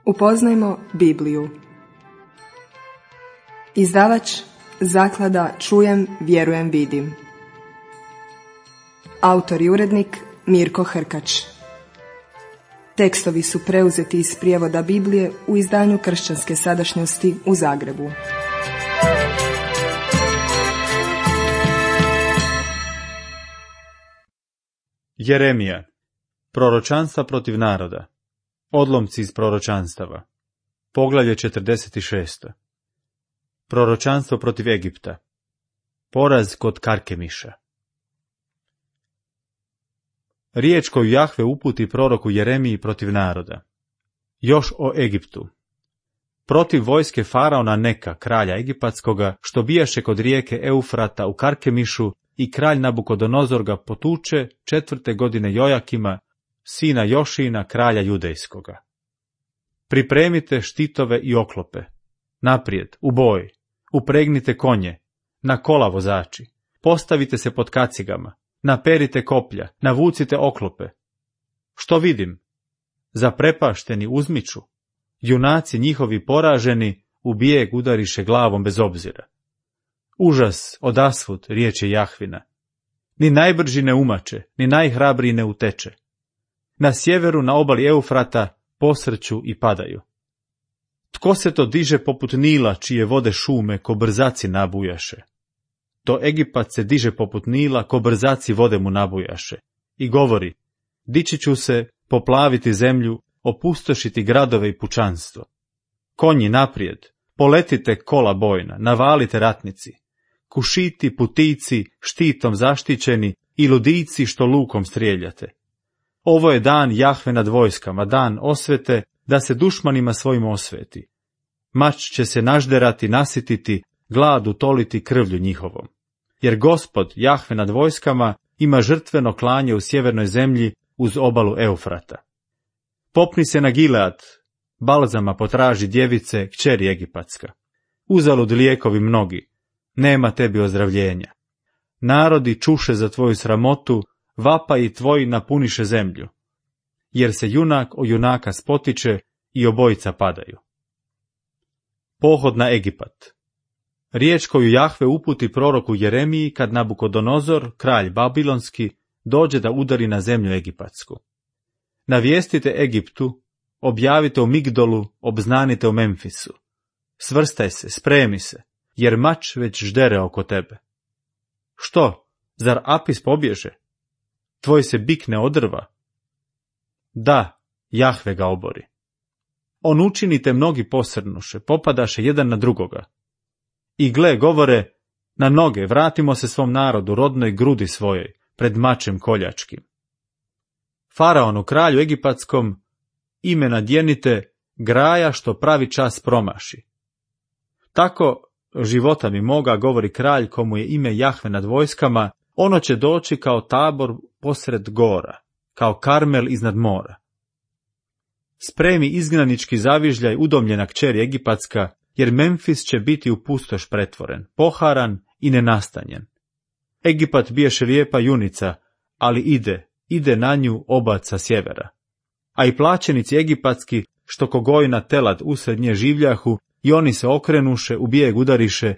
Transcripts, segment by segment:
Upoznajmo Bibliju. Izdavač Zaklada Čujem, vjerujem, vidim. Autor i urednik Mirko Hrkač. Tekstovi su preuzeti iz prijevoda Biblije u izdanju Kršćanske sadašnjosti u Zagrebu. Jeremija. Proročanstva protiv naroda. Odlomci iz proročanstava. Poglavlje 46. Proročanstvo protiv Egipta. Poraz kod Karkemiša. Riječ koju Jahve uputi proroku Jeremiji protiv naroda. Još o Egiptu. Protiv vojske faraona Neka, kralja egipatskoga, što bijaše kod rijeke Eufrata u Karkemišu, i kralj Nabukodonozor ga potuče 4. godine Jojakima, sina Jošina, kralja judejskoga. Pripremite štitove i oklope. Naprijed, u boj. Upregnite konje. Na kola vozači. Postavite se pod kacigama. Naperite koplja. Navucite oklope. Što vidim? Zaprepašteni uzmiču. Junaci njihovi poraženi u bijeg udariše glavom bez obzira. Užas odasvud, riječi Jahvina. Ni najbrži ne umače, ni najhrabriji ne uteče. Na sjeveru, na obali Eufrata, posrću i padaju. Tko se to diže poput Nila, čije vode šume ko brzaci nabujaše? To Egipat se diže poput Nila, ko brzaci vode mu nabujaše. I govori, dići ću se, poplaviti zemlju, opustošiti gradove i pučanstvo. Konji naprijed, poletite kola bojna, navalite ratnici. Kušiti, putici, štitom zaštićeni i ludici što lukom strijeljate. Ovo je dan Jahve nad vojskama, dan osvete, da se dušmanima svojim osveti. Mač će se nažderati, nasititi, glad utoliti krvlju njihovom. Jer Gospod, Jahve nad vojskama, ima žrtveno klanje u sjevernoj zemlji uz obalu Eufrata. Popni se na Gilead, balzama potraži djevice, kćeri egipatska. Uzalud lijekovi mnogi, nema tebi ozdravljenja. Narodi čuše za tvoju sramotu, vapaji tvoji napuniše zemlju. Jer se junak o junaka spotiče i obojica padaju. Pohod na Egipat. Riječ koju Jahve uputi proroku Jeremiji kad Nabukodonozor, kralj babilonski, dođe da udari na zemlju egipatsku. Navijestite Egiptu, objavite u Migdolu, obznanite u Memfisu. Svrstaj se, spremi se, jer mač već ždere oko tebe. Što, zar Apis pobježe? Tvoj se bik ne odrva? Da, Jahve ga obori. On učinite mnogi posrnuše, popadaše jedan na drugoga. I gle, govore, na noge, vratimo se svom narodu, rodnoj grudi svojoj, pred mačem koljačkim. Faraonu, kralju egipatskom, ime nadjenite, graja što pravi čas promaši. Tako, života mi moga, govori kralj komu je ime Jahve nad vojskama, ono će doći kao Tabor posred gora, kao Karmel iznad mora. Spremi izgnanički zavižljaj udomljena kćeri egipatska, jer Memfis će biti u pustoš pretvoren, poharan i nenastanjen. Egipat biješe lijepa junica, ali ide na nju obac sa sjevera. A i plaćenici egipatski, što kogojna telad usred nje življahu, i oni se okrenuše, u bijeg udariše,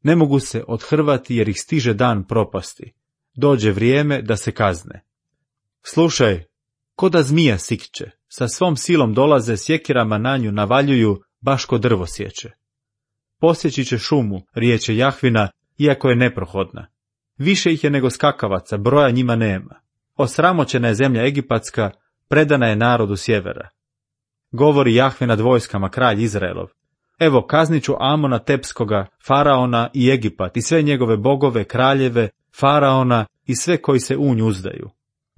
ne mogu se odhrvati jer ih stiže dan propasti. Dođe vrijeme da se kazne. Slušaj, ko da zmija sikće, sa svom silom dolaze, sjekirama na nju navaljuju, baš ko drvo sječe. Posjeći će šumu, riječe Jahvina, iako je neprohodna. Više ih je nego skakavaca, broja njima nema. Osramoćena je zemlja egipatska, predana je narodu sjevera. Govori Jahve nad vojskama, kralj Izraelov. Evo, kaznit ću Amona Tepskoga, Faraona i Egipat i sve njegove bogove, kraljeve, Faraona i sve koji se u nju uzdaju.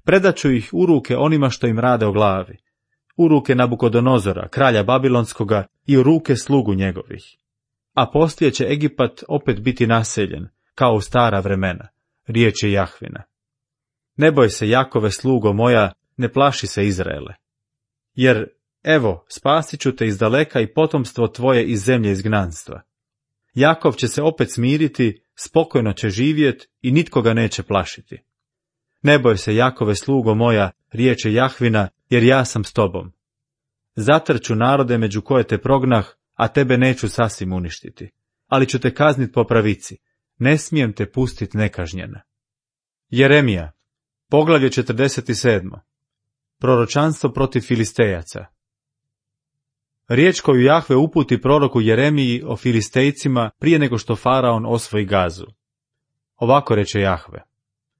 Predaću ih u ruke onima što im rade o glavi. U ruke Nabukodonozora, kralja babilonskoga i u ruke slugu njegovih. A poslije će Egipat opet biti naseljen, kao u stara vremena, riječ je Jahvina. Ne boj se, Jakove slugo moja, ne plaši se Izraele. Jer, evo, spasit ću te iz daleka i potomstvo tvoje iz zemlje izgnanstva. Jakov će se opet smiriti, spokojno će živjet i nitko ga neće plašiti. Ne boj se, Jakove slugo moja, riječ je Jahvina, jer ja sam s tobom. Zatrću narode među koje te prognah, a tebe neću sasvim uništiti, ali ću te kaznit po pravici, ne smijem te pustit nekažnjena. Jeremija, poglavlje 47. Proročanstvo protiv Filistejaca. Riječ koju Jahve uputi proroku Jeremiji o Filistejcima prije nego što faraon osvoji Gazu. Ovako reče Jahve: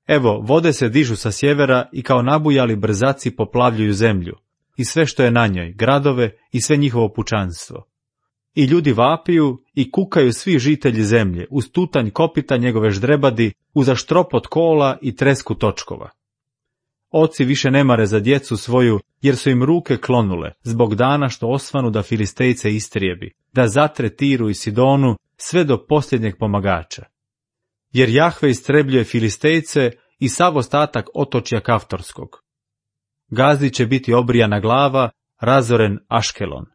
Evo, vode se dižu sa sjevera i kao nabujali brzaci poplavljuju zemlju, i sve što je na njoj, gradove i sve njihovo pučanstvo. I ljudi vapiju i kukaju svi žitelji zemlje, uz tutanj kopita njegove ždrebadi, uz aštropot kola i tresku točkova. Oci više ne mare za djecu svoju, jer su im ruke klonule, zbog dana što osvanu da Filistejce istrijebi, da zatre Tiru i Sidonu, sve do posljednjeg pomagača. Jer Jahve istrebljuje Filistejce i sav ostatak otočja Kaftorskog. Gazi će biti obrijana glava, razoren Aškelon.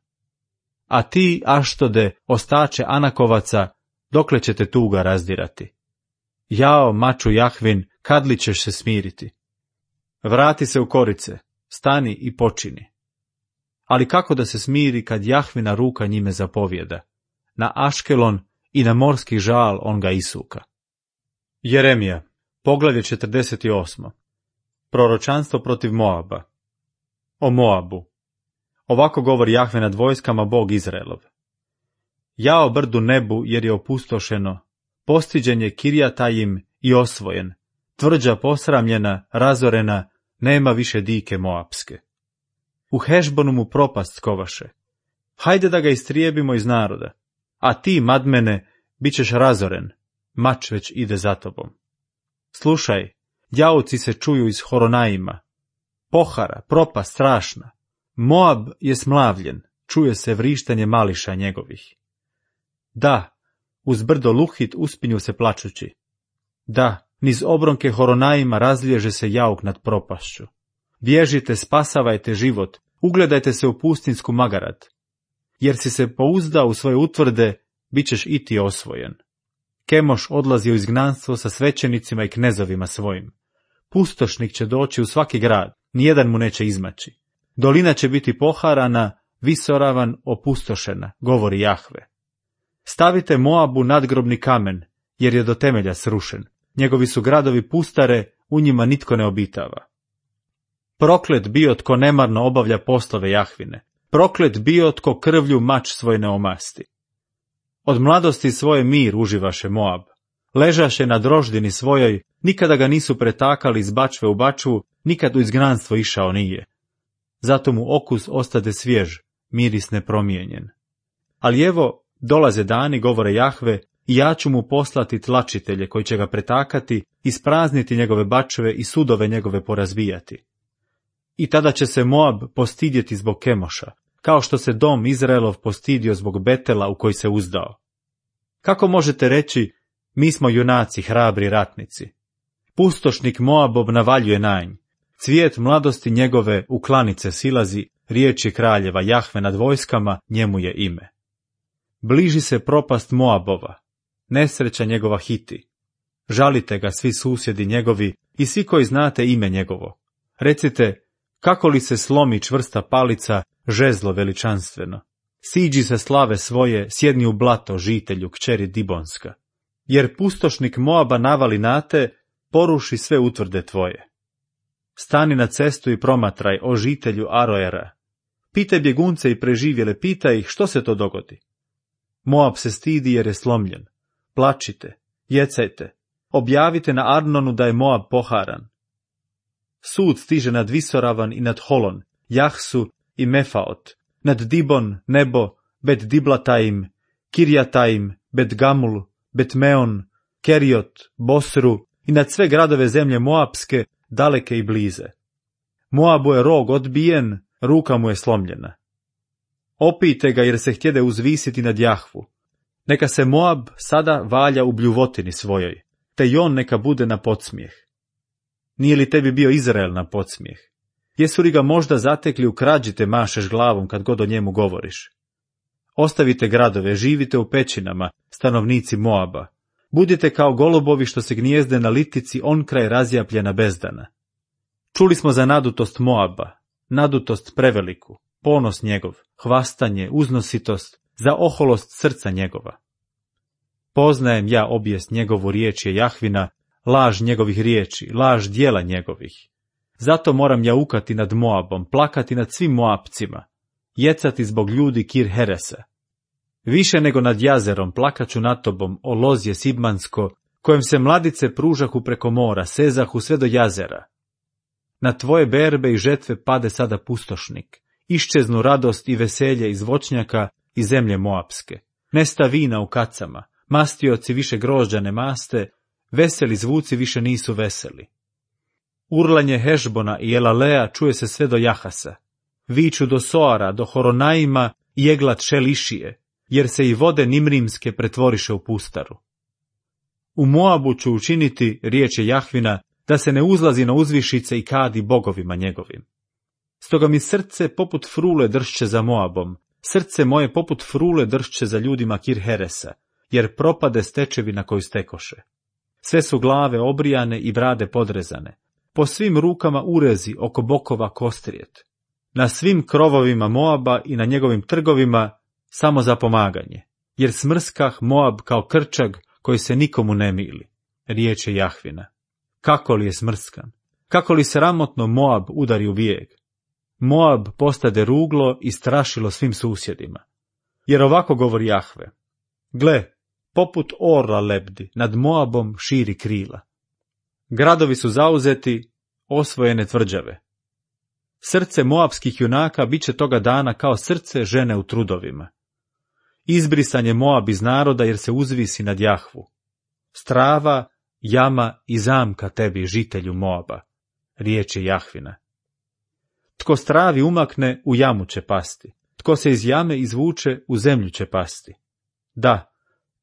A ti, Aštode, ostače Anakovaca, dokle će te tuga razdirati? Jao, maču Jahvin, kad li ćeš se smiriti? Vrati se u korice, stani i počini. Ali kako da se smiri kad Jahvina ruka njime zapovjeda? Na Aškelon i na morski žal on ga isuka. Jeremija, poglavlje 48. Proročanstvo protiv Moaba. O Moabu. Ovako govori Jahve nad vojskama, Bog Izraelov. Jao brdu nebu, jer je opustošeno, postiđen je Kirjatajim i osvojen, tvrđa posramljena, razorena, nema više dike Moapske. U Hešbonu mu propast skovaše. Hajde da ga istrijebimo iz naroda, a ti, Madmene, bit ćeš razoren, mač već ide za tobom. Slušaj, jauci se čuju iz Horonaima, pohara, propast strašna. Moab je smlavljen, čuje se vrištanje mališa njegovih. Da, uz brdo Luhit uspinju se plačući. Da, niz obronke Horonaima razliježe se jauk nad propašću. Bježite, spasavajte život, ugledajte se u pustinsku Magarat. Jer si se pouzdao u svoje utvrde, bit ćeš i ti osvojen. Kemoš odlazi u izgnanstvo sa svećenicima i knezovima svojim. Pustošnik će doći u svaki grad, nijedan mu neće izmaći. Dolina će biti poharana, visoravan, opustošena, govori Jahve. Stavite Moabu nadgrobni kamen, jer je do temelja srušen. Njegovi su gradovi pustare, u njima nitko ne obitava. Proklet bio tko nemarno obavlja poslove Jahvine. Proklet bio tko krvlju mač svoj ne omasti. Od mladosti svoje mir uživaše Moab. Ležaše na droždini svojoj, nikada ga nisu pretakali iz bačve u bačvu, nikad u izgnanstvo išao nije. Zato mu okus ostade svjež, miris nepromijenjen. Ali evo, dolaze dani, govore Jahve, i ja ću mu poslati tlačitelje koji će ga pretakati, isprazniti njegove bačve i sudove njegove porazbijati. I tada će se Moab postidjeti zbog Kemoša, kao što se dom Izraelov postidio zbog Betela u koji se uzdao. Kako možete reći, mi smo junaci, hrabri ratnici? Pustošnik Moabov navaljuje na nj. Cvijet mladosti njegove u klanice silazi, riječi kraljeva Jahve nad vojskama, njemu je ime. Bliži se propast Moabova, nesreća njegova hiti. Žalite ga svi susjedi njegovi i svi koji znate ime njegovo. Recite, kako li se slomi čvrsta palica, žezlo veličanstveno. Siđi se slave svoje, sjedni u blato, žitelju, kćeri Dibonska. Jer pustošnik Moaba navali na te, poruši sve utvrde tvoje. Stani na cestu i promatraj, o žitelju Aroera. Pitaj bjegunce i preživjele, pitaj ih što se to dogodi. Moab se stidi jer je slomljen. Plačite, jecajte, objavite na Arnonu da je Moab poharan. Sud stiže nad Visoravan i nad Holon, Jahsu i Mefaot, nad Dibon, Nebo, Bet Diblataim, Kirjataim, Bet Gamul, Bet Meon, Keriot, Bosru i nad sve gradove zemlje Moabske, daleke i blize. Moabu je rog odbijen, ruka mu je slomljena. Opijte ga jer se htjede uzvisiti nad Jahvu. Neka se Moab sada valja u bljuvotini svojoj, te i on neka bude na podsmijeh. Nije li tebi bio Izrael na podsmijeh? Jesu li ga možda zatekli u krađi te mašeš glavom kad god o njemu govoriš? Ostavite gradove, živite u pećinama, stanovnici Moaba. Budite kao golubovi što se gnijezde na litici on kraj razjapljena bezdana. Čuli smo za nadutost Moaba, nadutost preveliku, ponos njegov, hvastanje, uznositost, za oholost srca njegova. Poznajem ja obijest njegovu, riječ je Jahvina, laž njegovih riječi, laž djela njegovih. Zato moram jaukati nad Moabom, plakati nad svim Moabcima, jecati zbog ljudi Kir Heresa. Više nego nad jazerom plakaću nad tobom, o lozje Sibmansko, kojem se mladice pružahu preko mora, sezahu sve do jazera. Na tvoje berbe i žetve pade sada pustošnik, iščeznu radost i veselje iz voćnjaka i zemlje Moabske. Nesta vina u kacama, mastioci više grožđa ne maste, veseli zvuci više nisu veseli. Urlanje Hešbona i Elalea čuje se sve do Jahasa. Viču do Soara, do Horonaima i Eglat Šelišije, jer se i vode Nimrimske pretvoriše u pustaru. U Moabu ću učiniti, riječ je Jahvina, da se ne uzlazi na uzvišice i kadi bogovima njegovim. Stoga mi srce poput frule dršće za Moabom, srce moje poput frule dršće za ljudima Kir Heresa, jer propade stečevina koju stekoše. Sve su glave obrijane i brade podrezane, po svim rukama urezi, oko bokova kostrijet. Na svim krovovima Moaba i na njegovim trgovima samo za pomaganje, jer smrskah Moab kao krčag koji se nikomu ne mili, riječ je Jahvina. Kako li je smrskan, kako li sramotno Moab udari u bijeg. Moab postade ruglo i strašilo svim susjedima. Jer ovako govori Jahve: gle, poput orla lebdi, nad Moabom širi krila. Gradovi su zauzeti, osvojene tvrđave. Srce moabskih junaka bit će toga dana kao srce žene u trudovima. Izbrisan je Moab iz naroda jer se uzvisi nad Jahvu. Strava, jama i zamka tebi, žitelju Moaba, riječ je Jahvina. Tko stravi umakne, u jamu će pasti. Tko se iz jame izvuče, u zemlju će pasti. Da,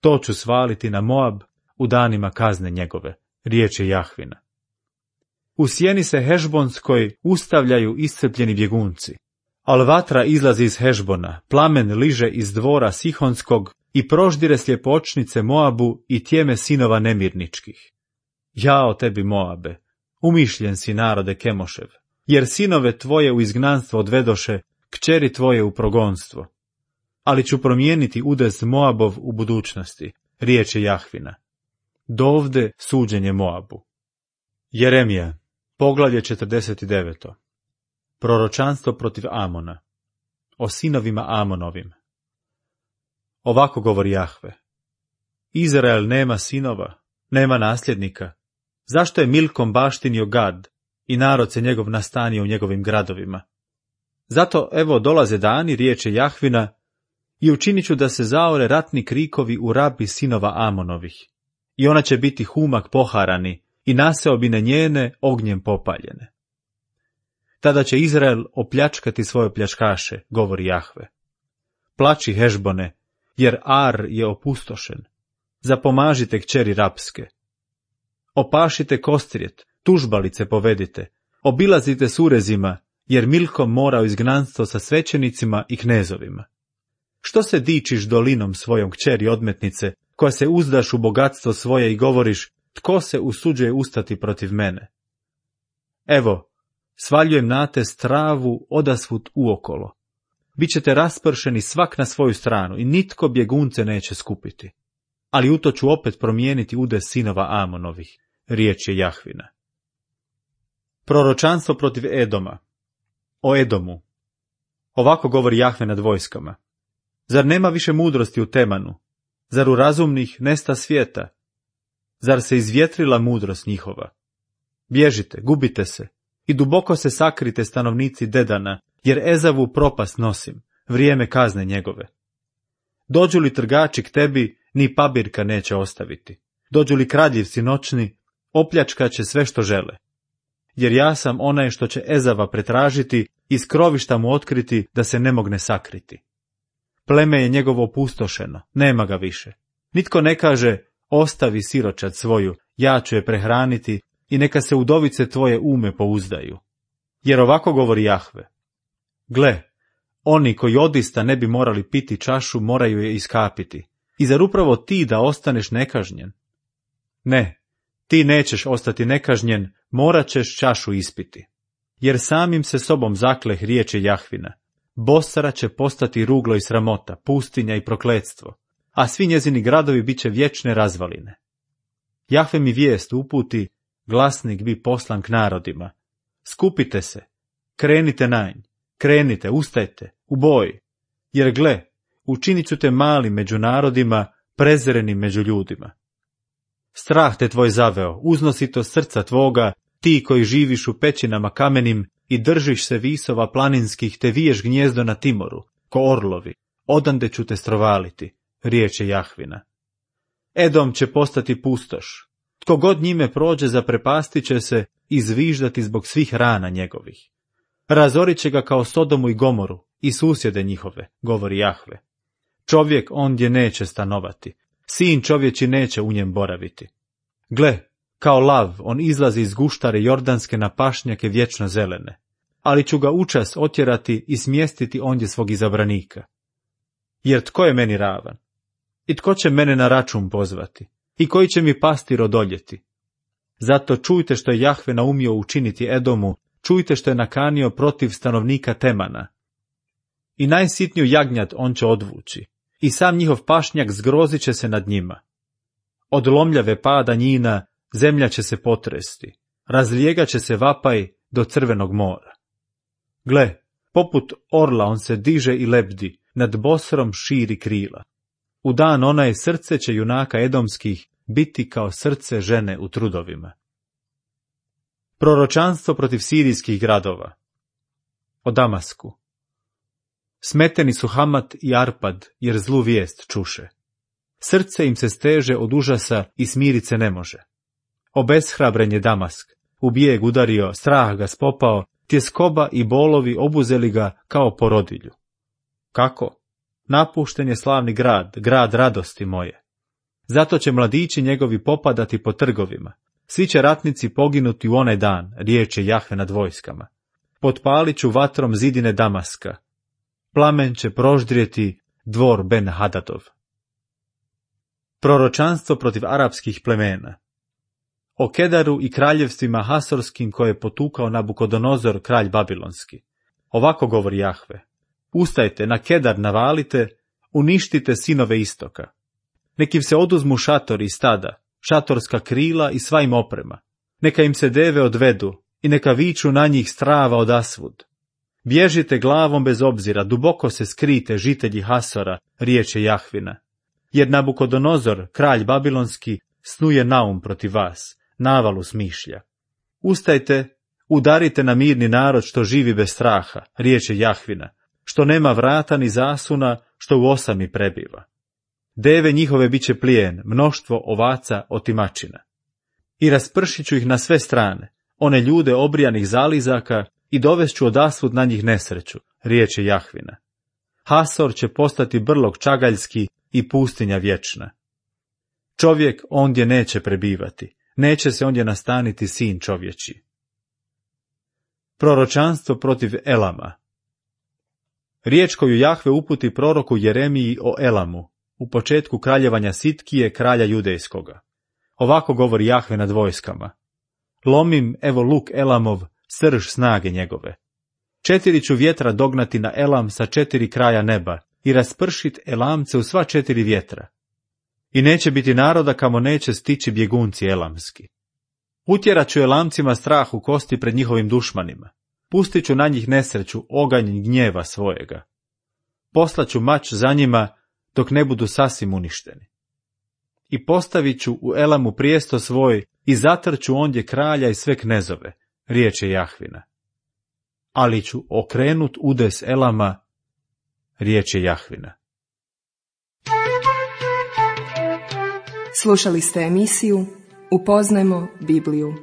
to ću svaliti na Moab u danima kazne njegove, riječ je Jahvina. U sjeni se Hešbonskoj ustavljaju iscrpljeni bjegunci, al vatra izlazi iz Hešbona, plamen liže iz dvora Sihonskog i proždire sljepočnice Moabu i tjeme sinova nemirničkih. Jao tebi, Moabe, umišljen si, narode Kemošev, jer sinove tvoje u izgnanstvo odvedoše, kćeri tvoje u progonstvo. Ali ću promijeniti udes Moabov u budućnosti, riječ je Jahvina. Dovde suđenje Moabu. Jeremija, poglavlje 49. Proročanstvo protiv Amona. O sinovima Amonovim. Ovako govori Jahve: Izrael nema sinova, nema nasljednika. Zašto je Milkom baštinio Gad i narod se njegov nastanio u njegovim gradovima? Zato evo dolaze dani, riječ je Jahvina, i učinit ću da se zaore ratni krikovi u Rabi sinova Amonovih. I ona će biti humak poharani i naseobine njene ognjem popaljene. Tada će Izrael opljačkati svoje pljačkaše, govori Jahve. Plači, Hešbone, jer Ar je opustošen. Zapomažite kćeri rapske. Opašite kostrijet, tužbalice povedite, obilazite s urezima, jer Milkom mora u izgnanstvo sa svećenicima i knezovima. Što se dičiš dolinom svojom, kćeri odmetnice, koja se uzdaš u bogatstvo svoje i govoriš: tko se usuđuje ustati protiv mene? Evo, svaljujem na te stravu odasvud uokolo. Bićete raspršeni svak na svoju stranu i nitko bjegunce neće skupiti. Ali u to ću opet promijeniti udes sinova Amonovih, riječ je Jahvina. Proročanstvo protiv Edoma. O Edomu. Ovako govori Jahve nad vojskama: zar nema više mudrosti u Temanu? Zar u razumnih nesta svijeta? Zar se izvjetrila mudrost njihova? Bježite, gubite se i duboko se sakrite, stanovnici Dedana, jer Ezavu propast nosim, vrijeme kazne njegove. Dođu li trgači k tebi, ni pabirka neće ostaviti. Dođu li kradljivci noćni, opljačkat će sve što žele. Jer ja sam onaj što će Ezava pretražiti, iz krovišta mu otkriti da se ne mogne sakriti. Pleme je njegovo opustošeno, nema ga više. Nitko ne kaže: ostavi siročad svoju, ja ću je prehraniti i neka se udovice tvoje ume pouzdaju. Jer ovako govori Jahve: gle, oni koji odista ne bi morali piti čašu, moraju je iskapiti. I zar upravo ti da ostaneš nekažnjen? Ne, ti nećeš ostati nekažnjen, morat ćeš čašu ispiti. Jer samim se sobom zakleh, riječ je Jahvina: Bosra će postati ruglo i sramota, pustinja i prokletstvo, a svi njezini gradovi bit će vječne razvaline. Jahve mi vijest uputi, glasnik bi poslan k narodima. Skupite se, krenite na nj, krenite, ustajte, u boj, jer gle, učinit ću te malim među narodima, prezerenim među ljudima. Strah te tvoj zaveo, uznosito srca tvoga, ti koji živiš u pećinama kamenim i držiš se visova planinskih, te viješ gnjezdo na Timoru, ko orlovi, odande ću te strovaliti, riječ je Jahvina. Edom će postati pustoš, tko god njime prođe zaprepastit će se i zviždati zbog svih rana njegovih. Razorit će ga kao Sodomu i Gomoru i susjede njihove, govori Jahve. Čovjek ondje neće stanovati, sin čovječi neće u njem boraviti. Gle, kao lav on izlazi iz guštare jordanske na pašnjake vječno zelene, ali ću ga učas otjerati i smjestiti ondje svog izabranika. Jer tko je meni ravan? I tko će mene na račun pozvati? I koji će mi pastir odoljeti? Zato čujte što je Jahve naumio učiniti Edomu, čujte što je nakanio protiv stanovnika Temana. I najsitniju jagnjad on će odvući, i sam njihov pašnjak zgrozit će se nad njima. Od lomljave pada njina zemlja će se potresti, razlijegat će se vapaj do Crvenog mora. Gle, poput orla on se diže i lebdi, nad Bosrom širi krila. U dan onaj srce će junaka edomskih biti kao srce žene u trudovima. Proročanstvo protiv sirijskih gradova. O Damasku. Smeteni su Hamat i Arpad, jer zlu vijest čuše. Srce im se steže od užasa i smirit se ne može. Obeshrabren je Damask, u bijeg udario, strah ga spopao, tjeskoba i bolovi obuzeli ga kao porodilju. Kako? Napušten je slavni grad, grad radosti moje. Zato će mladići njegovi popadati po trgovima. Svi će ratnici poginuti u onaj dan, riječ je Jahve nad vojskama. Potpalit ću vatrom zidine Damaska. Plamen će proždrijeti dvor Ben Hadadov. Proročanstvo protiv arapskih plemena. O Kedaru i kraljevstvima Hasorskim koje je potukao Nabukodonozor, kralj babilonski. Ovako govori Jahve. Ustajte, na Kedar navalite, uništite sinove istoka. Nek im se oduzmu šatori i stada, šatorska krila i sva im oprema. Neka im se deve odvedu i neka viču na njih strava odasvud. Bježite glavom bez obzira, duboko se skrite, žitelji Hasora, riječ je Jahvina. Jer Nabukodonozor, kralj babilonski, snuje naum protiv vas, navalu smišlja. Ustajte, udarite na mirni narod što živi bez straha, riječ je Jahvina, što nema vrata ni zasuna, što u osami prebiva. Deve njihove bit će plijen, mnoštvo ovaca otimačina. I raspršit ću ih na sve strane, one ljude obrijanih zalizaka, i dovest ću odasvud na njih nesreću, riječ je Jahvina. Hasor će postati brlog čagaljski i pustinja vječna. Čovjek ondje neće prebivati, neće se ondje nastaniti sin čovječi. Proročanstvo protiv Elama. Riječ koju Jahve uputi proroku Jeremiji o Elamu, u početku kraljevanja Sitkije, kralja judejskoga. Ovako govori Jahve nad vojskama. Lomim, evo luk Elamov, srž snage njegove. 4 ću vjetra dognati na Elam sa 4 kraja neba i raspršit Elamce u sva 4 vjetra. I neće biti naroda kamo neće stići bjegunci elamski. Utjerat ću Elamcima strah u kosti pred njihovim dušmanima. Pustit ću na njih nesreću, oganj gnjeva svojega. Poslaću mač za njima dok ne budu sasvim uništeni. I postavit ću u Elamu prijesto svoj i zatrću ondje kralja i sve knezove, riječ je Jahvina. Ali ću okrenut udes Elama, riječ je Jahvina. Slušali ste emisiju Upoznajmo Bibliju.